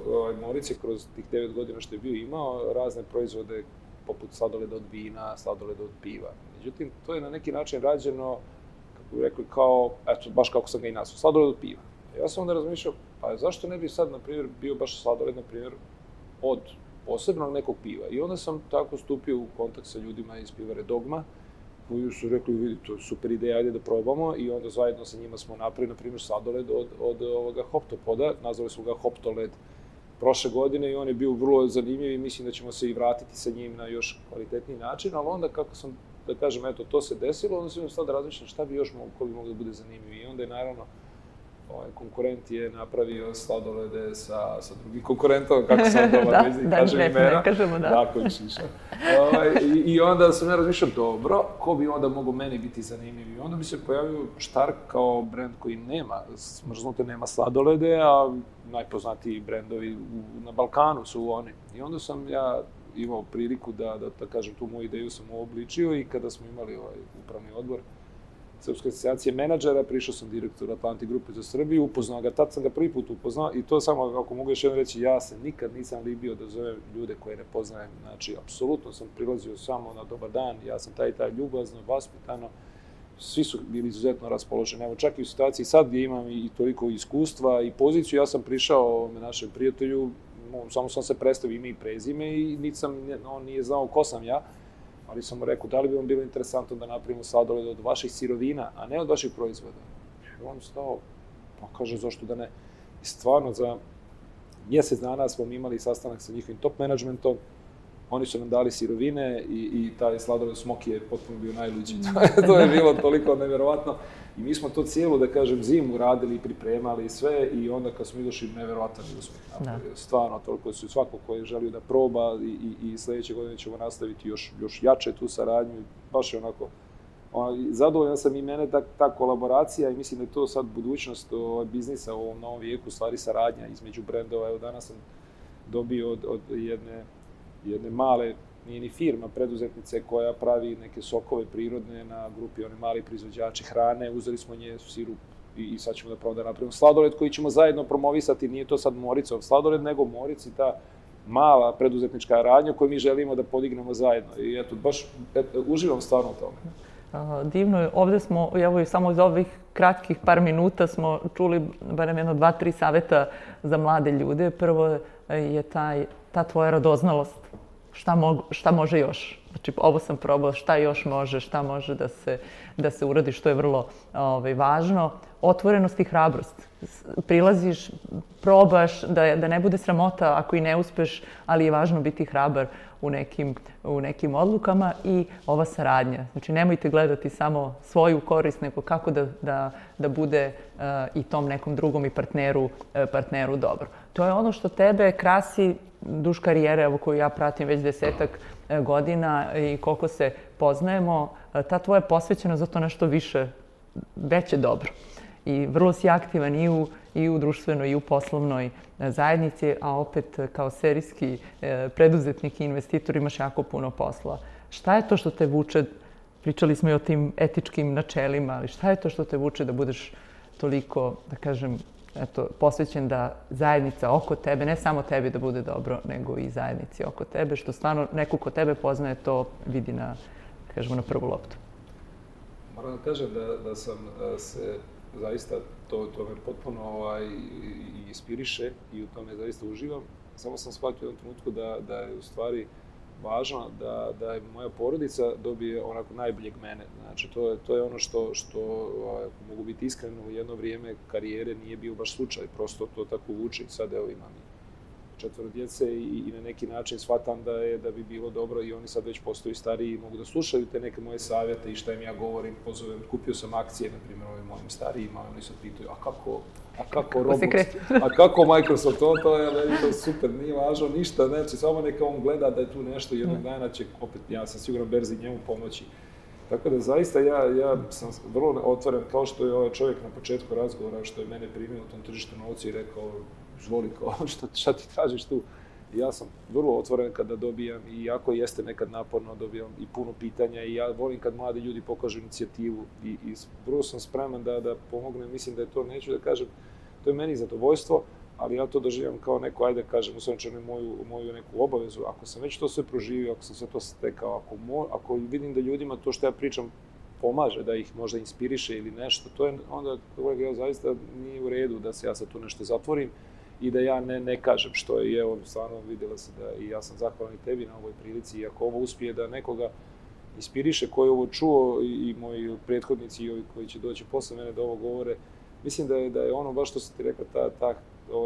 Morić je kroz tih 9 godina što je bio imao razne proizvode poput sladoleda od vina, sladoleda od piva. Međutim, to je na neki način rađeno, kako bih rekao, kao, eto, baš kako sam ga i nazvao, sladoled od piva. Ja sam onda razmišljao, pa zašto ne bi sad, na primjer, bio baš sladoled, na primjer, od posebnog nekog piva. I onda sam tako stupio u kontakt sa ljudima iz pivare Dogma, koji su rekli, vidi, to je super ideja, ajde da probamo, i onda zajedno sa njima smo napravili, na primjer, sladoled od ovoga Hoptopoda, nazvali smo ga Hoptoled prošle godine, i on je bio vrlo zanimljiv i mislim da ćemo se i vratiti sa njim na još kvalitetniji način, ali onda kako sam da kažem, eto, to se desilo, onda sam sad razmišljam šta bi još ko bi moglo da bude zanimljivo. I onda je naravno, konkurent je napravio sladolede sa drugim konkurentom, kako sam dobar vezi, kažem imena. Ne kažemo, da. Tako je šiša. I onda sam ja razmišljao, dobro, ko bi onda mogao meni biti zanimljiv? I onda bi se pojavio Stark kao brend koji nema, smrznute, nema sladolede, a najpoznatiji brendovi na Balkanu su oni. I onda sam ja imao priliku da kažem, tu moju ideju sam uobličio i kada smo imali upravni odbor Srpske asocijacije menadžera, prišao sam direktor Atlantic grupe za Srbiju, upoznao ga, tad sam ga prvi put upoznao i to samo, ako mogu još jedno reći, ja se nikad nisam libio da zovem ljude koje ne poznajem, znači, apsolutno sam prilazio samo na dobar dan, ja sam taj ljubazno, vaspitano, svi su bili izuzetno raspoloženi, evo čak i u situaciji sad gdje imam i toliko iskustva i poziciju, ja sam prišao našem prijatelju, samo sam se predstavio ime i prezime i on nije znao ko sam ja, ali sam mu rekao, da li bi vam bilo interesantno da napravimo sladoled od vaših sirovina, a ne od vaših proizvoda. I on stao, pa kaže, zašto da ne? I stvarno, za mjesec dana smo imali sastanak sa njihovim top managementom, oni su nam dali sirovine i taj sladoled Smoky je potpuno bio najluđi. To je bilo toliko nevjerovatno. I mi smo to cijelu, da kažem, zimu radili i pripremali i sve i onda kad smo došli, nevjerovatan uspjeh. Stvarno, toliko su svako ko je želio da proba i sljedeće godine ćemo nastaviti još jače tu saradnju. Baš je onako, zadovoljan sam i mene ta kolaboracija i mislim da je to sad budućnost biznisa u ovom novom vijeku, stvari saradnja između brendova. Evo danas sam dobio od jedne male, nije ni firma, preduzetnice koja pravi neke sokove prirodne na grupi, oni mali proizvođači hrane, uzeli smo nje sirup i sad ćemo da napravimo sladoled koji ćemo zajedno promovisati, nije to sad Moricov sladoled, nego Moric i ta mala preduzetnička radnja koju mi želimo da podignemo zajedno. I eto, baš uživam stvarno u tome. Divno je. Ovdje smo, evo i samo iz ovih kratkih par minuta smo čuli barem 2-3 savjeta za mlade ljude. Prvo je ta tvoja radoznalost. Šta može još? Znači, ovo sam probala, šta još može, šta može da se uradi, što je vrlo važno. Otvorenost i hrabrost. Prilaziš, probaš, da ne bude sramota ako i ne uspeš, ali je važno biti hrabar u nekim odlukama i ova saradnja. Znači, nemojte gledati samo svoju korist, nego kako da bude i tom nekom drugom i partneru dobro. To je ono što tebe krasi duž karijere, koju ja pratim već 10-ak godina i koliko se poznajemo, ta tvoja posvećenost za to nešto veće dobro. I vrlo si aktivan i u društvenoj i u poslovnoj zajednici, a opet kao serijski preduzetnik i investitor imaš jako puno posla. Šta je to što te vuče, pričali smo i o tim etičkim načelima, ali šta je to što te vuče da budeš toliko, da kažem, posvećen da zajednica oko tebe, ne samo tebi da bude dobro, nego i zajednici oko tebe, što stvarno neko ko tebe poznaje to vidi na prvu loptu. Moram da kažem da sam se zaista, to me potpuno inspiriše i u tome zaista uživam. Samo sam shvatio u jednom trenutku da je u stvari važno da je moja porodica dobije onako najboljeg mene. Znači, to je ono što mogu biti iskreno, u jedno vrijeme karijere nije bio baš slučaj, prosto to tako vuče. Sad evo imam 4 djece i na neki način shvatam da bi bilo dobro i oni sad već postaju stariji i mogu da slušaju te neke moje savjete i šta im ja govorim, pozovem, kupio sam akcije, na primjer, ovim mojim starijima, oni se pitaju, a kako Roblox, a kako Microsoft, to je super, nije važno ništa, znači samo neka on gleda da je tu nešto i jednog dana će opet, ja sam siguran, berzi njemu pomoći. Tako da zaista ja sam vrlo otvoren, kao što je ovaj čovjek na početku razgovora, što je mene primio u tom tržištu novca i rekao, izvoli, šta ti tražiš tu? Ja sam vrlo otvoren kada dobijam, i iako jeste nekad naporno, dobijam i puno pitanja i ja volim kad mladi ljudi pokažu inicijativu i vrlo sam spreman da pomognem. Mislim da je to, neću da kažem, to je meni zadovoljstvo, ali ja to doživljam kao neko, ajde kažem, u svojom moju neku obavezu. Ako sam već to sve proživio, ako sam sve to stekao, ako vidim da ljudima to što ja pričam pomaže, da ih možda inspiriše ili nešto, to je onda, ja zaista nije u redu da se ja sad tu nešto zatvorim i da ja ne kažem što je. I evo, stvarno vidjela se da i ja sam zahvalan i tebi na ovoj prilici i ako ovo uspije da nekoga inspiriše koji je ovo čuo i moji prethodnici i ovi koji će doći posle mene da ovo govore, mislim da je ono baš što si ti rekla,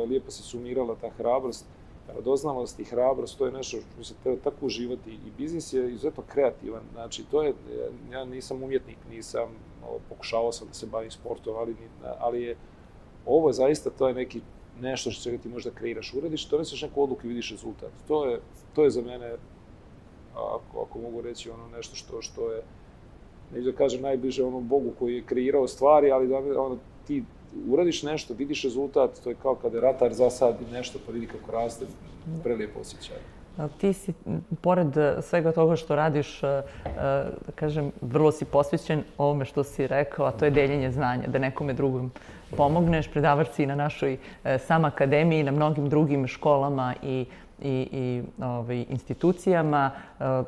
lijepo si sumirala, ta hrabrost, radoznalost i hrabrost, to je nešto što se treba tako uživati i biznis je izuzetno kreativan. Znači, ja nisam umjetnik, pokušavao sam da se bavim sportom, ali je ovo zaista, to je nešto što ti možda kreiraš, uradiš, donesiš neku odluku i vidiš rezultat. To je za mene, ako mogu reći, nešto što je, neću da kažem najbliže onom Bogu koji je kreirao stvari, ali ti uradiš nešto, vidiš rezultat, to je kao kada ratar zasadi nešto pa vidi kako raste, prelijepo osjećaj. Ti si, pored svega toga što radiš, da kažem, vrlo si posvećen ovome što si rekao, a to je deljenje znanja, da nekome drugom pomogneš. Predavač si na našoj SAM akademiji, na mnogim drugim školama i institucijama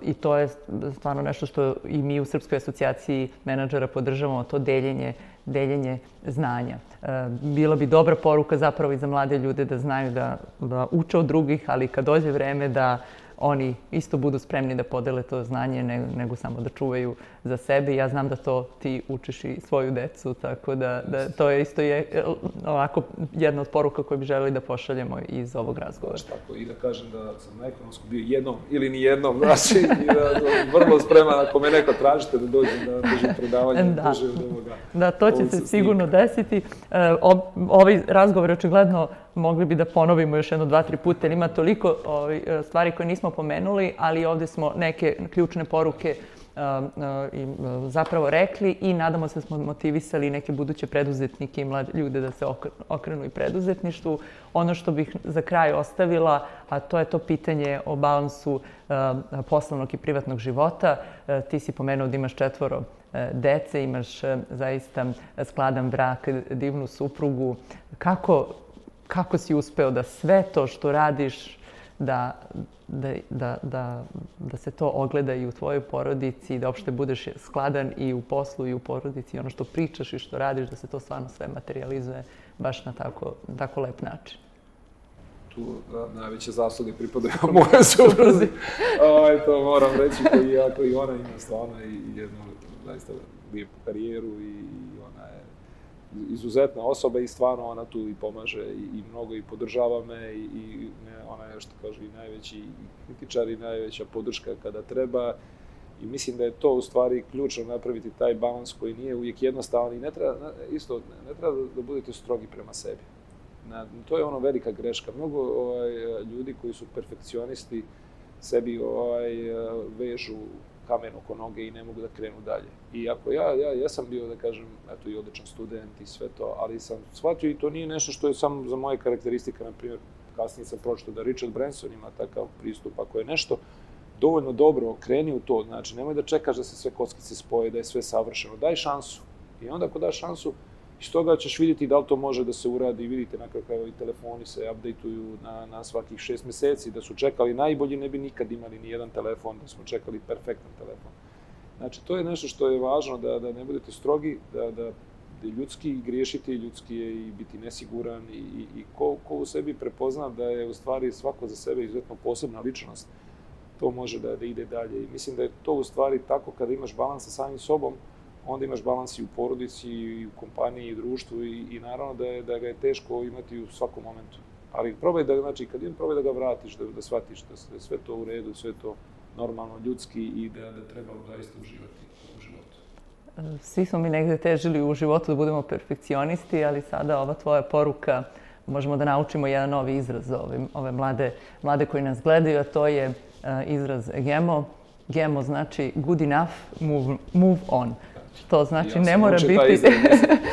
i to je stvarno nešto što i mi u Srpskoj asocijaciji menadžera podržavamo, to deljenje znanja. Bila bi dobra poruka zapravo i za mlade ljude da znaju da uče od drugih, ali kad dođe vreme da oni isto budu spremni da podele to znanje nego samo da čuvaju za sebe. Ja znam da to ti učiš i svoju decu, tako da to je isto ovako jedna od poruka koju bi želeli da pošaljemo iz ovog razgovora. Tako, i da kažem da sam na ekonomsku bio jednom ili ni jednom, znači, i da vrlo spreman ako me neko tražite da dođem da držim predavanje, držim od ovoga. Da, to će se sigurno desiti. Ovaj razgovor očigledno mogli bi da ponovimo još jedno 2-3 puta, jer ima toliko stvari koje nismo pomenuli, ali ovdje smo neke ključne poruke zapravo rekli i nadamo se da smo motivisali neke buduće preduzetnike i mlade ljude da se okrenu i preduzetništvu. Ono što bih za kraj ostavila, a to je to pitanje o balansu poslovnog i privatnog života. Ti si pomenuo da imaš 4 dece, imaš zaista skladan brak, divnu suprugu. Kako si uspeo da sve to što radiš, da se to ogleda i u tvojoj porodici, da uopšte budeš skladan i u poslu i u porodici, ono što pričaš i što radiš, da se to stvarno sve materializuje baš na tako lep način? Tu najveće zasluge pripadaju moje supruzi. To moram reći, koji i ona ima stvarno i jednu zaista lijepu karijeru i ona je izuzetna osoba i stvarno ona tu i pomaže i mnogo i podržava me i ona je, što kaže, i najveći kritičar i najveća podrška kada treba i mislim da je to u stvari ključno napraviti taj balans koji nije uvijek jednostavan i ne treba da budete strogi prema sebi. To je velika greška. Mnogo ljudi koji su perfekcionisti sebi vežu kamen oko noge i ne mogu da krenu dalje. I ako ja sam bio, da kažem, eto i odličan student i sve to, ali sam shvatio i to nije nešto što je samo za moje karakteristike, na primjer, kasnije sam pročitao da Richard Branson ima takav pristup, ako je nešto dovoljno dobro, kreni u to, znači nemoj da čekaš da se sve kockice spoje, da je sve savršeno, daj šansu. I onda ako daš šansu, iz toga ćeš vidjeti da li to može da se uradi. Vidite, na kraju i telefoni se updateuju na svakih 6 mjeseci, da su čekali najbolji, ne bi nikad imali ni jedan telefon, da smo čekali perfektan telefon. Znači, to je nešto što je važno, da ne budete strogi, da ljudski griješiti, ljudski je i biti nesiguran i ko u sebi prepozna da je u stvari svako za sebe izuzetno posebna ličnost, to može da ide dalje. I mislim da je to u stvari tako kada imaš balans sa samim sobom, onda imaš balans i u porodici, i u kompaniji, i u društvu i naravno da ga je teško imati u svakom momentu. Ali probaj da ga vratiš, da shvatiš da je sve to u redu, sve to normalno, ljudski i da treba zaista uživati u životu. Svi smo mi negde težili u životu da budemo perfekcionisti, ali sada ova tvoja poruka, možemo da naučimo jedan novi izraz za ove mlade koji nas gledaju, a to je izraz GEMO. GEMO znači good enough, move on. To znači ne mora biti...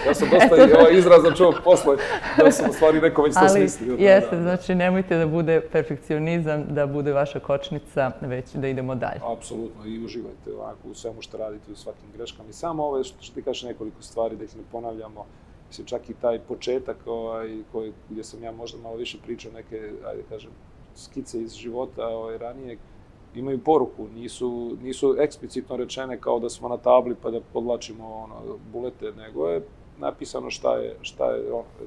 Ja sam dosta i ovaj izraz čuo posle, da sam u stvari neko već to smislio. Ali jeste, znači nemojte da bude perfekcionizam, da bude vaša kočnica, već da idemo dalje. Apsolutno, i uživajte ovako u svemu što radite, u svakim greškama. I samo ove što ti kažeš nekoliko stvari, da ih ne ponavljamo, mislim, čak i taj početak gdje sam ja možda malo više pričao neke, ajde kažem, skice iz života ranije, imaju poruku, nisu eksplicitno rečene kao da smo na tabli pa da podlačimo bulete, nego je napisano šta je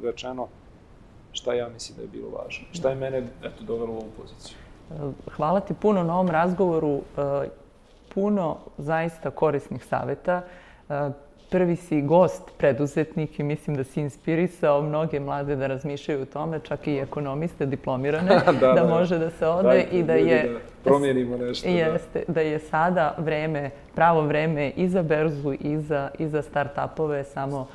rečeno, šta ja mislim da je bilo važno, šta je mene dovelo u ovu poziciju. Hvala ti puno na ovom razgovoru, puno zaista korisnih savjeta. prvi si gost, preduzetnik i mislim da si inspirisao mnoge mlade da razmišljaju o tome, čak i ekonomiste, diplomirane, da može da se ode i da je... promijenimo nešto. Jeste, da je sada pravo vreme i za berzu i za start-upove, samo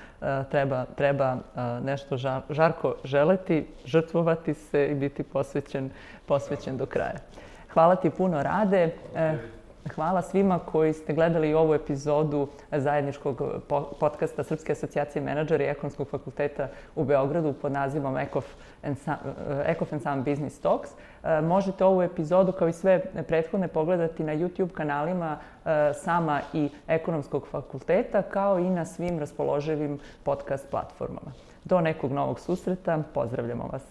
treba nešto žarko želeti, žrtvovati se i biti posvećen do kraja. Hvala ti puno, Rade. Hvala svima koji ste gledali ovu epizodu zajedničkog podcasta Srpske asocijacije menadžera i Ekonomskog fakulteta u Beogradu pod nazivom Ekof and Some Business Talks. Možete ovu epizodu kao i sve prethodne pogledati na YouTube kanalima Sama i Ekonomskog fakulteta, kao i na svim raspoloživim podcast platformama. Do nekog novog susreta, pozdravljamo vas.